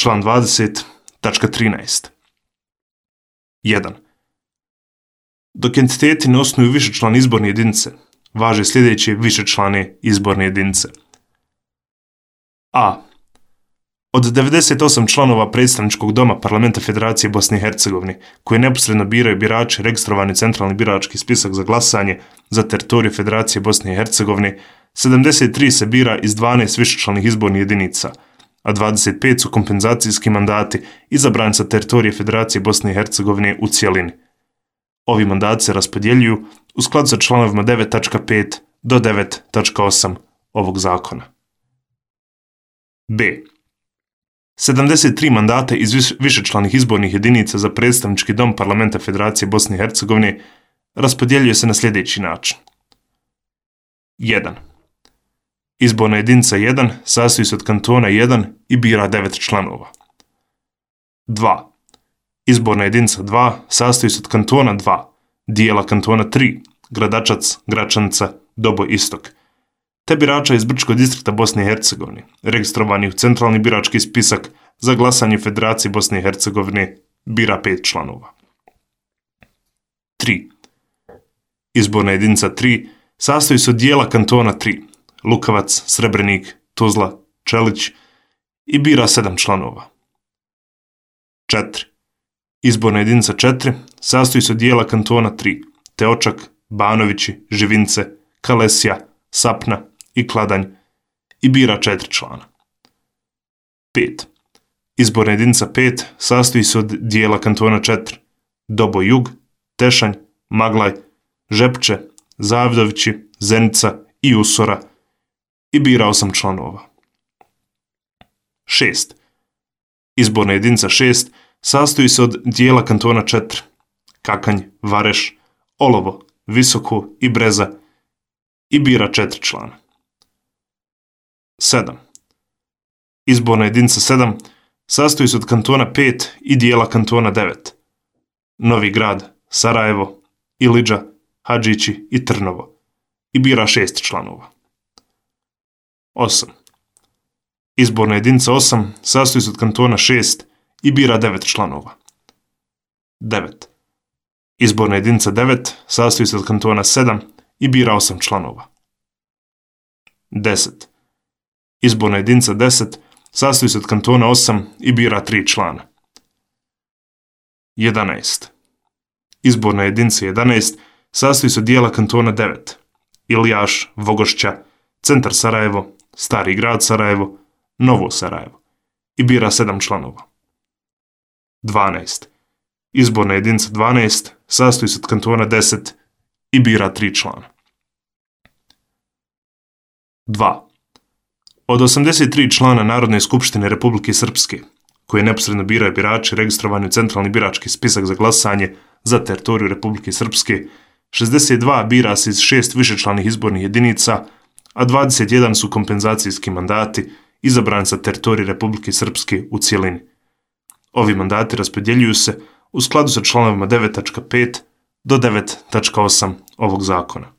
Član 20, tačka 13. 1. Dok entiteti ne osnuju višečlane izborne jedinice, važe sljedeće višečlane izborne jedinice. A. Od 98 članova predstavničkog doma Parlamenta Federacije Bosne i Hercegovine, koje neposredno biraju birači registrovani u centralni birački spisak za glasanje za teritoriju Federacije Bosne i Hercegovine, 73 se bira iz 12 višečlanih izbornih jedinica, a 25 su kompenzacijski mandati izabrani sa teritorije Federacije Bosne i Hercegovine u cijelini. Ovi mandati se raspodjeljuju u skladu sa članovima 9.5 do 9.8 ovog zakona. B. 73 mandata iz višečlanih izbornih jedinica za predstavnički dom Parlamenta Federacije Bosne i Hercegovine raspodjeljuje se na sljedeći način. 1. Izborna jedinica 1 sastoji se od kantona 1 i bira 9 članova. 2. Izborna jedinica 2 sastoji se od kantona 2, dijela kantona 3, Gradačac, Gračanica, Doboj Istok, te birača iz Brčkog distrikta Bosne i Hercegovine, registrovani u centralni birački spisak za glasanje Federacije Bosne i Hercegovine, bira 5 članova. 3. Izborna jedinica 3 sastoji se od dijela kantona 3, Lukavac, Srebrenik, Tuzla, Čelić i bira 7 članova. 4. Izborna jedinica 4 sastoji se od dijela kantona 3, Teočak, Banovići, Živince, Kalesija, Sapna i Kladanj i bira 4 člana. 5. Izborna jedinica 5 sastoji se od dijela kantona 4, Doboj Jug, Tešanj, Maglaj, Žepče, Zavdovići, Zenica i Usora i bira 8 članova. 6. Izborna jedinica 6 sastoji se od dijela kantona 4, Kakanj, Vareš, Olovo, Visoko i Breza i bira 4 člana. 7. Izborna jedinica 7 sastoji se od kantona 5 i dijela kantona 9, Novi Grad, Sarajevo, Ilidža, Hadžići i Trnovo i bira 6 članova. 8. Izborna jedinica 8 sastoji se od kantona 6 i bira 9 članova. 9. Izborna jedinica 9 sastoji se od kantona 7 i bira 8 članova. 10. Izborna jedinica 10 sastoji se od kantona 8 i bira 3 člana. 11. Izborna jedinica 11 sastoji se od dijela kantona 9, Ilijaš, Vogošća, Centar Sarajevo, Stari grad Sarajevo, Novo Sarajevo i bira 7 članova. 12. Izborna jedinica 12 sastoji se od kantona 10 i bira 3 člana. 2. Od 83 člana Narodne skupštine Republike Srpske, koje neposredno biraju birači registrovani u centralni birački spisak za glasanje za teritoriju Republike Srpske, 62 bira se iz 6 višečlanih izbornih jedinica, a 21 su kompenzacijski mandati izabrani sa teritorije Republike Srpske u cijelini. Ovi mandati raspodjeljuju se u skladu sa članovima 9.5 do 9.8 ovog zakona.